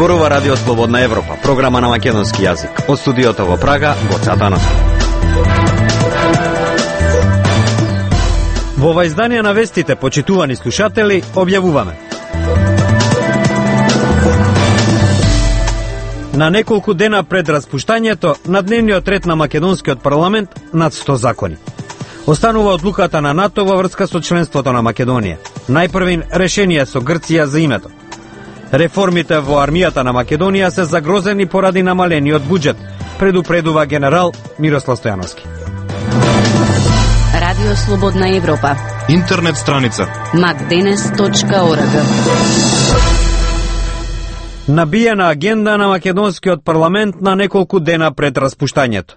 Зборува Радио Слободна Европа, програма на македонски јазик. Од студиото во Прага, Гоце Атанасов. Во ова издание на вестите, почитувани слушатели, објавуваме. На неколку дена пред распуштањето, на дневниот ред на македонскиот парламент над 100 закони. Останува одлуката на НАТО во врска со членството на Македонија. Најпрвин решение со Грција за името. Реформите во армијата на Македонија се загрозени поради намалениот буџет, предупредува генерал Мирослав Стојановски. Радио Слободна Европа. Интернет страница macdenes.org. Набиена агенда на македонскиот парламент на неколку дена пред распуштањето.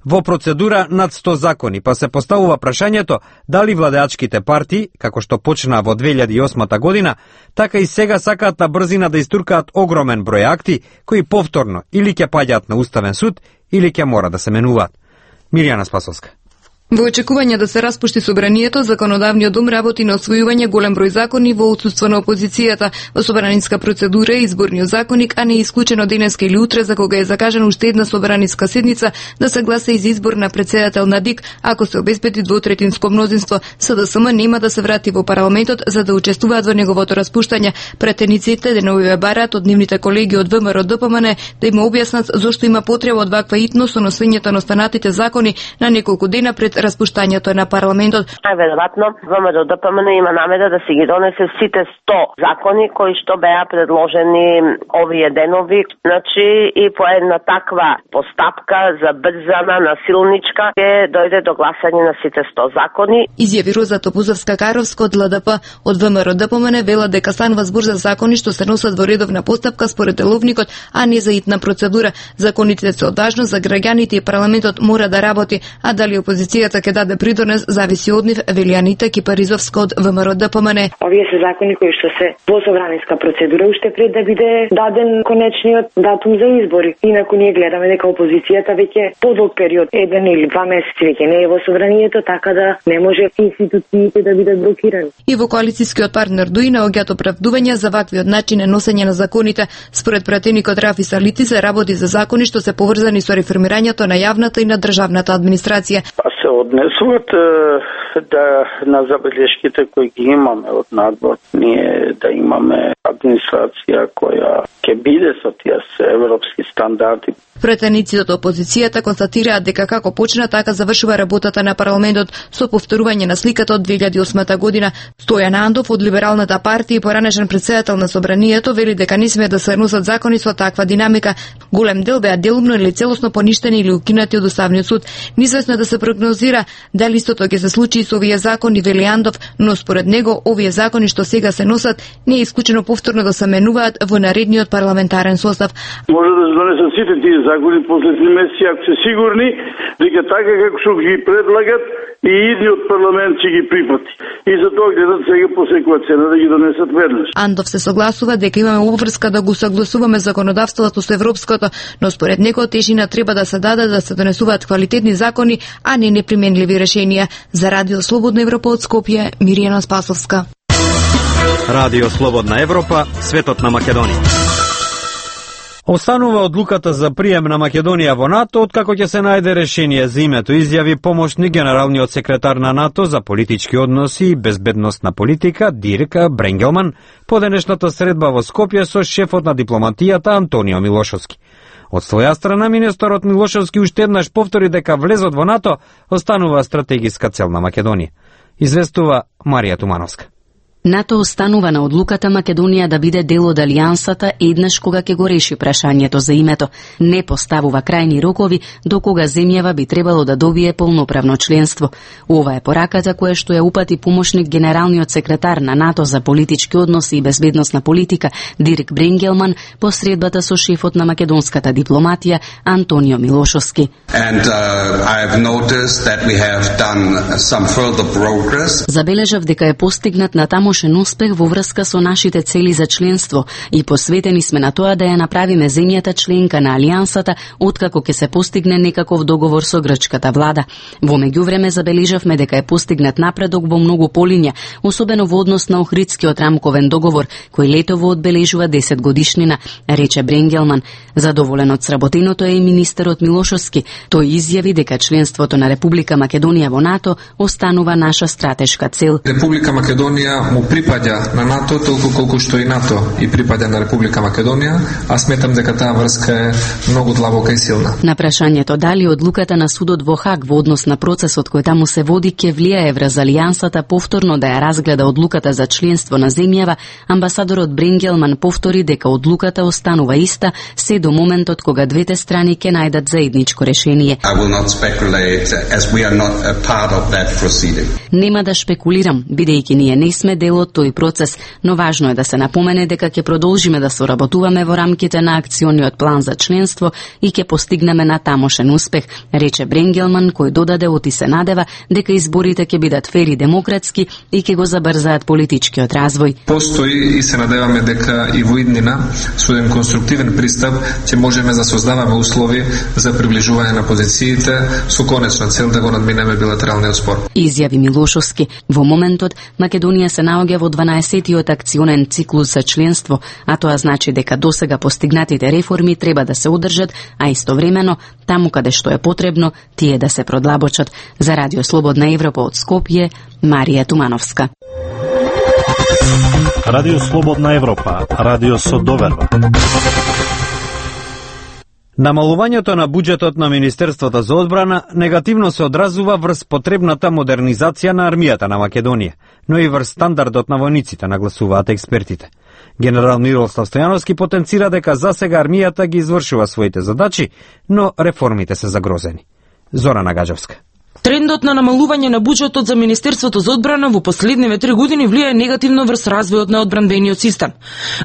Во процедура над 100 закони, па се поставува прашањето дали владеачките партии, како што почна во 2008 година, така и сега сакаат на брзина да истуркаат огромен број акти, кои повторно или ќе паѓаат на Уставен суд, или ќе мора да се менуваат. Мирјана Спасовска. Во очекување да се распушти собранието, законодавниот дом работи на освојување голем број закони во отсуство на опозицијата. Во собраниска процедура е изборниот законник, а не е исклучено денеска или утре, за кога е закажана уште една собраниска седница, да се гласа и за избор на претседател на ДИК, ако се обезбеди двотретинско мнозинство. СДСМ нема да се врати во парламентот за да учествуваат во неговото распуштање. Претениците деновиве бараат од нивните колеги од ВМРО ДПМН да им објаснат зошто има потреба од ваква итност со носењето на останатите закони на неколку дена пред распуштањето на парламентот. Веројатно ВМРО ДПМН има намера да си ги донесе сите 100 закони кои што беа предложени овие денови. Значи и по една таква постапка забрзана, насилничка ќе дојде до гласање на сите 100 закони. Изјави Роза Топузовска-Каровска од ЛДП. Од ВМРО ДПМН вела дека станува збор за закони што се носат во редовна постапка според деловникот, а не за итна процедура. Законите се од важност за граѓаните и парламентот мора да работи, а дали опозицијата ќе даде придонес зависи од нив, вели Анита Кипаризовска од ВМРО ДПМН. Овие се закони кои што се во собраниска процедура уште пред да биде даден конечниот датум за избори. Инаку ние гледаме дека опозицијата веќе подолг период, 1 или 2 месеци веќе не е во собранието, така да не може институциите да бидат блокирани. И во коалицијскиот партнер ДУИ наоѓаат оправдувања за ваквиот начин на носење на законите. Според пратеникот Рафи Салити се работи за закони што се поврзани со реформирањето на јавната и на државната администрација. Се однесуват да на забелешките кои ги имаме од надвор, ние да имаме администрација која ќе биде со тие европски стандарди. Претениците од опозицијата констатираат дека како почна, така завршува работата на парламентот со повторување на сликата од 2008 година. Стојан Андов од Либералната партија и поранешен претседател на собранието вели дека не смее да се носат закони со таква динамика. Голем дел беа делумно или целосно поништени или укинати од Уставниот суд. Неизвестно е да се прогнозира дали истото ќе се случи и со овие закони, вели Андов, но според него овие закони што сега се носат не е исклучено повторно да се менуваат во наредниот парламентарен состав. Може да се донесат сите тие закони после 3 месеци, ако се сигурни дека така како што ги предлагат и идниот парламент ќе ги прифати. И за тоа гледат сега по секоја цена да ги донесат веднаш. Андов се согласува дека имаме обврска да го согласуваме законодавството со европското, но според него тежина треба да се даде да се донесуваат квалитетни закони, а не неприменливи решенија. За Радио Слободна Европа од Скопје, Мирјана Спасовска. Радио Слободна Европа, светот на Македонија. Останува одлуката за прием на Македонија во НАТО, откако ќе се најде решение за името, изјави помошник генералниот секретар на НАТО за политички односи и безбедносна политика Дирк Бренгелман по денешната средба во Скопје со шефот на дипломатијата Антонио Милошовски. Од своја страна, министерот Милошовски уште еднаш повтори дека влезот во НАТО останува стратегиска цел на Македонија. Известува Марија Тумановска. НАТО останува на одлуката Македонија да биде дел од алијансата еднаш кога ќе го реши прашањето за името. Не поставува крајни рокови до кога земјава би требало да добие полноправно членство. Ова е пораката која што ја упати помошник генералниот секретар на НАТО за политички односи и безбедносна политика Дирк Бренгелман по средбата со шефот на македонската дипломатија Антонио Милошовски. Забележав дека е постигнат на таму тамошен успех во врска со нашите цели за членство и посветени сме на тоа да ја направиме земјата членка на Алијансата откако ќе се постигне некаков договор со грчката влада. Во меѓувреме забележавме дека е постигнат напредок во многу полиња, особено во однос на Охридскиот рамковен договор, кој летово одбележува 10 годишнина, рече Бренгелман. Задоволен од сработеното е и министерот Милошовски. Тој изјави дека членството на Република Македонија во НАТО останува наша стратешка цел. Република Македонија му припаѓа на НАТО толку колку што и НАТО и припаѓа на Република Македонија, а сметам дека таа врска е многу длабока и силна. На прашањето дали одлуката на судот во Хаг во однос на процесот кој таму се води ќе влијае врз Алијансата повторно да ја разгледа одлуката за членство на земјава, амбасадорот Бренгелман повтори дека одлуката останува иста се до моментот кога двете страни ќе најдат заедничко решение. Нема да шпекулирам, бидејќи ние не сме дел од тој процес, но важно е да се напомене дека ќе продолжиме да соработуваме во рамките на акциониот план за членство и ќе постигнеме на тамошен успех, рече Бренгелман, кој додаде оти се надева дека изборите ќе бидат фер и демократски и ќе го забрзаат политичкиот развој. Постои и се надеваме дека и во иднина со еден конструктивен пристап ќе можеме да создаваме услови за приближување на позициите со конечна цел да го надминеме билатералниот спор. Изјави Милошовски. Во моментот Македонија се наоѓа во 12-тиот акционен циклус за членство, а тоа значи дека досега постигнатите реформи треба да се одржат, а истовремено таму каде што е потребно тие да се продлабочат. За Радио Слободна Европа од Скопје, Марија Тумановска. Радио Слободна Европа, радио со доверба. Намалувањето на буџетот на Министерството за одбрана негативно се одразува врз потребната модернизација на армијата на Македонија, но и врз стандардот на војниците, нагласуваат експертите. Генерал Мирослав Стојановски потенцира дека засега армијата ги извршува своите задачи, но реформите се загрозени. Зорана Гаджевска. Трендот на намалување на буџетот за Министерството за одбрана во последниве 3 години влијае негативно врз развојот на одбранбениот систем,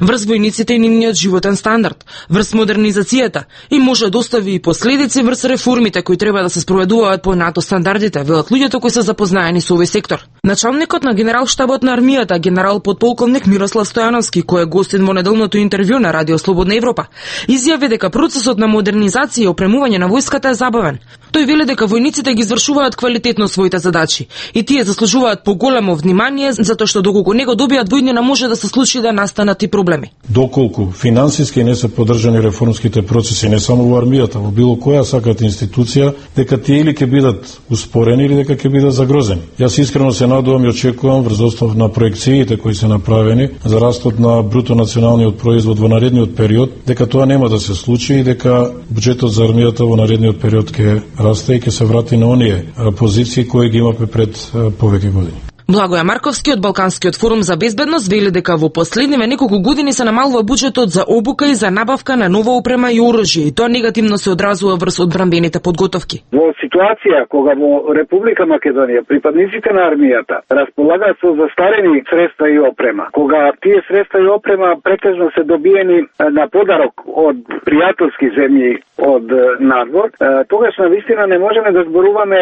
врз војниците и нивниот животен стандард, врз модернизацијата и може да остави и последици врз реформите кои треба да се спроведуваат по НАТО стандардите, велат луѓето кои се запознаени со овој сектор. Началникот на генералштабот на армијата, генерал подполковник Мирослав Стојановски, кој е гостин во неделното интервју на Радио Слободна Европа, изјави дека процесот на модернизација и опремување на војската е забавен. Тој вели дека војниците ги извршуваат квалитетно своите задачи и тие заслужуваат поголемо внимание, затоа што доколку не го добијат војнина може да се случи да настанат и проблеми. Доколку финансиски не се поддржани реформските процеси не само во армијата, во било која сакат институција, дека тие или ќе бидат успорени или дека ќе бидат загрозени. Јас искрено се надувам и очекувам врз основ на проекциите кои се направени за растот на бруто националниот производ во наредниот период, дека тоа нема да се случи и дека буџетот за армијата во наредниот период ќе расте и ќе се врати на оние позиции кои ги имаме пред повеќе години. Благоја Марковски од Балканскиот форум за безбедност вели дека во последниве неколку години се намалува буџетот за обука и за набавка на нова опрема и оружје, и тоа негативно се одразува врз одбранбените подготовки. Во ситуација кога во Република Македонија припадниците на армијата располагаат со застарени средства и опрема, кога тие средства и опрема претежно се добиени на подарок од пријателски земји од надвор, тогаш навистина не можеме да зборуваме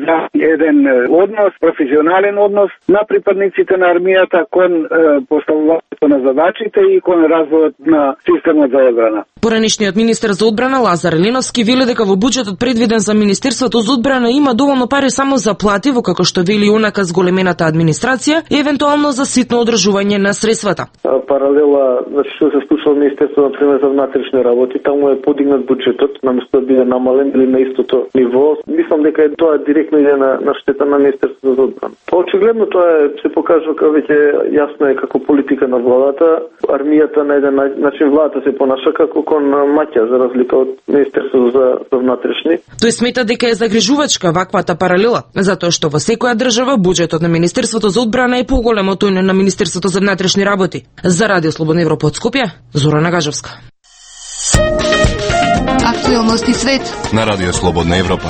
за еден однос, професионален однос на припадниците на армијата кон поставувањето на задачите и кон развојот на системот за одбрана. Поранешниот министер за одбрана Лазар Еленовски вели дека во буџетот предвиден за Министерството за одбрана има доволно пари само за плати, во како што вели онака зголемената администрација и евентуално за ситно одржување на средствата. Паралела, значи што се случува во Министерството на пример за внатрешни работи, таму е подигнат буџетот, наместо да биде намален или на истото ниво. Мислам дека тоа директно иде на штета на Министерството за одбрана. Очигледно тоа се покажува како веќе јасно е како политика на владата. Армијата на еден начин владата се понаша како кон маќа за разлика од Министерството за внатрешни. Тој смета дека е загрижувачка ваквата паралела, затоа што во секоја држава буџетот на Министерството за одбрана е поголем од тој на Министерството за внатрешни работи. За Радио Слободна Европа од Скопје, Зорана Гажевска. Актуелности свет на Радио Слободна Европа.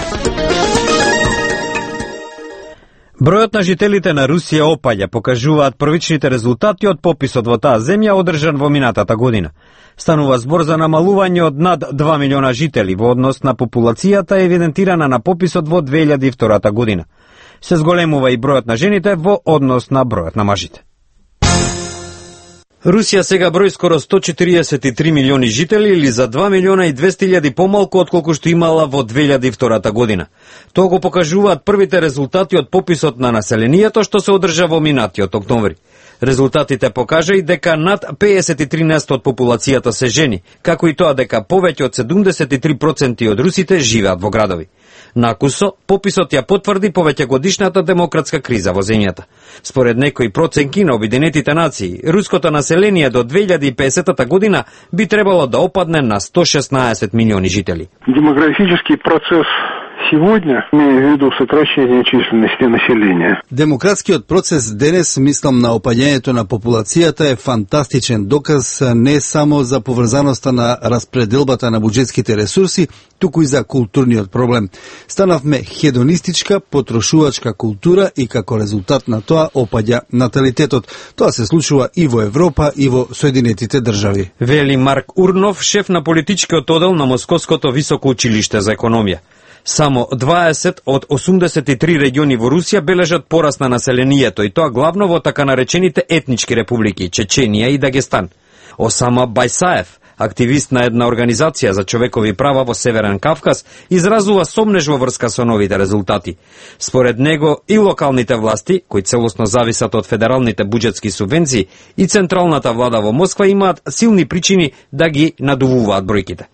Бројот на жителите на Русија опаѓа, покажуваат првичните резултати од пописот во таа земја одржан во минатата година. Станува збор за намалување од над 2 милиона жители во однос на популацијата евидентирана на пописот во 2002 година. Се зголемува и бројот на жените во однос на бројот на мажите. Русија сега брои скоро 143 милиони жители или за 2 милиона и 200.000 помалку отколку што имала во 2002 година. Тоа го покажуваат првите резултати од пописот на населението што се одржа во минатиот октомври. Резултатите покажа и дека над 53% од популацијата се жени, како и тоа дека повеќе од 73% од русите живеат во градови. Накусо, пописот ја потврди повеќегодишната демократска криза во земјата. Според некои проценки на Обединетите нации, руското население до 2050 година би требало да опадне на 116 милиони жители. Демографический процесс сегодня, имея в виду сокращение численности населения. Демократскиот процес денес, мислам на опаѓањето на популацијата, е фантастичен доказ не само за поврзаноста на распределбата на буџетските ресурси, туку и за културниот проблем. Станавме хедонистичка, потрошувачка култура и како резултат на тоа опаѓа наталитетот. Тоа се случува и во Европа и во Соединетите држави. Вели Марк Урнов, шеф на политичкиот одел на Московското високо училиште за економија. Само 20 од 83 региони во Русија бележат пораст на населението и тоа главно во така наречените етнички републики Чеченија и Дагестан. Осама Байсаев, активист на една организација за човекови права во Северен Кавказ, изразува сомнеж во врска со новите резултати. Според него и локалните власти, кои целосно зависат од федералните буџетски субвенции, и централната влада во Москва имаат силни причини да ги надувуваат бројките.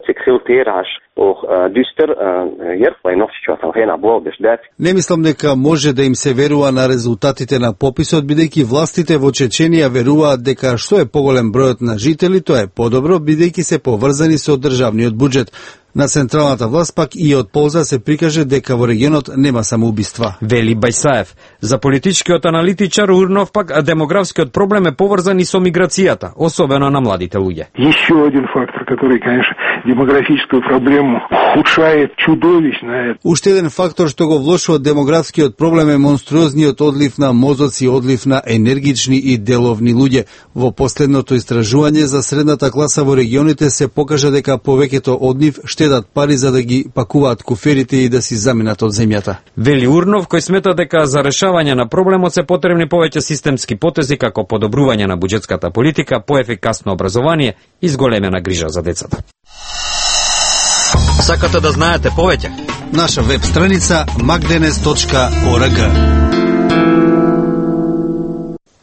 Не мислам дека може да им се верува на резултатите на пописот, бидејќи властите во Чеченија веруваат дека што е поголем бројот на жители, тоа е подобро, бидејќи се поврзани со државниот буџет. На централната власт пак и од полза се прикаже дека во регионот нема самоубиства. Вели Байсаев. За политичкиот аналитичар Урнов пак демографскиот проблем е поврзан и со миграцијата, особено на младите луѓе. Еще один фактор, который, конечно, демографическую проблему ухудшает чудовищно. Уште еден фактор што го влошува демографскиот проблем е монструозниот одлив на мозоци, одлив на енергични и деловни луѓе. Во последното истражување за средната класа во регионите се покажа дека повеќето од нив штедат пари за да ги пакуваат куферите и да си заминат од земјата. Вели Урнов, кој смета дека за решавање на проблемот се потребни повеќе системски потези како подобрување на буџетската политика, поефикасно образование и зголемена грижа за децата. Сакате да знаете повеќе? Наша веб страница magdenes.org.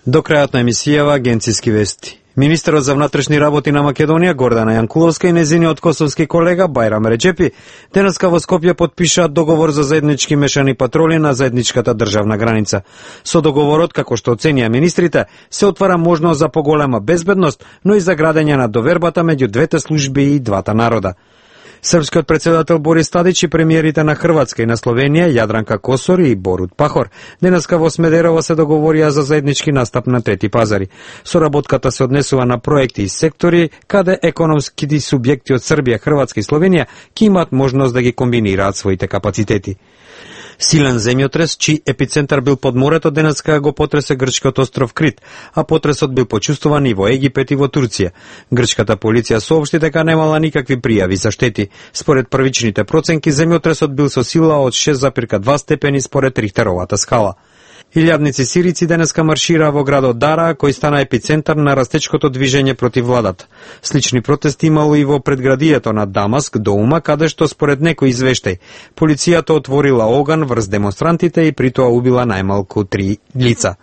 До крајот на емисијава агенциски вести. Министерот за внатрешни работи на Македонија Гордана Јанкуловска и незиниот косовски колега Бајрам Реджепи денеска во Скопје подпишаат договор за заеднички мешани патроли на заедничката државна граница. Со договорот, како што оценија министрите, се отвара можност за поголема безбедност, но и за градење на довербата меѓу двете служби и двата народа. Српскиот председател Борис Тадич и премиерите на Хрватска и на Словенија Јадранка Косор и Борут Пахор денеска во Смедерово се договорија за заеднички настап на трети пазари. Соработката се однесува на проекти и сектори каде економските субјекти од Србија, Хрватска и Словенија ќе имаат можност да ги комбинираат своите капацитети. Силен земјотрес, чиј епицентар бил под морето, денеска го потресе грчкиот остров Крит, а потресот бил почувствуван и во Египет и во Турција. Грчката полиција соопшти дека немала никакви пријави за штети. Според првичните проценки, земјотресот бил со сила од 6,2 степени според Рихтеровата скала. Илјадници сирици денеска маршираа во градот Дара, кој стана епицентар на растечкото движење против владата. Слични протести имало и во предградието на Дамаск, Доума, каде што според некој извештај, полицијата отворила оган врз демонстрантите и при тоа убила најмалку 3 лица.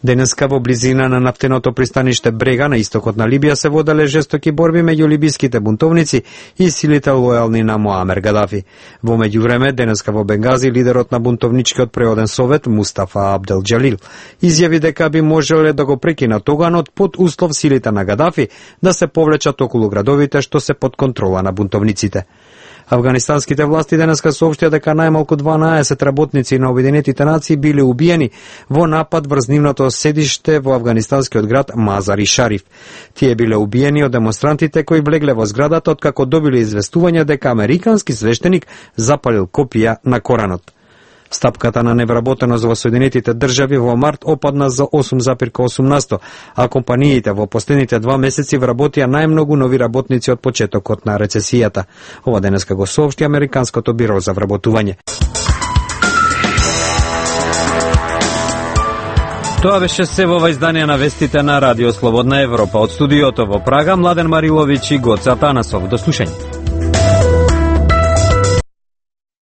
Денеска во близина на нафтеното пристаниште Брега на истокот на Либија се воделе жестоки борби меѓу либиските бунтовници и силите лојални на Муамер Гадафи. Во меѓувреме, денеска во Бенгази лидерот на бунтовничкиот преоден совет Мустафа Абдел Џалил изјави дека би можеле да го прекинат оганот под услов силите на Гадафи да се повлечат околу градовите што се под контрола на бунтовниците. Афганистанските власти денеска соопштија дека најмалку 12 работници на Обединетите нации биле убиени во напад врз нивното седиште во афганистанскиот град Мазари Шариф. Тие биле убиени од демонстрантите кои влегле во зградата откако добиле известување дека американски свештеник запалил копија на Коранот. Стапката на невработеност во Соединетите држави во март опадна за 8,8%, а компаниите во последните 2 месеци вработија најмногу нови работници од почетокот на рецесијата. Ова денеска го соопшти Американското биро за вработување. Тоа беше се во издание на вестите на Радио Слободна Европа. Од студиото во Прага, Младен Мариловиќ и Гоце Атанасов. До слушање.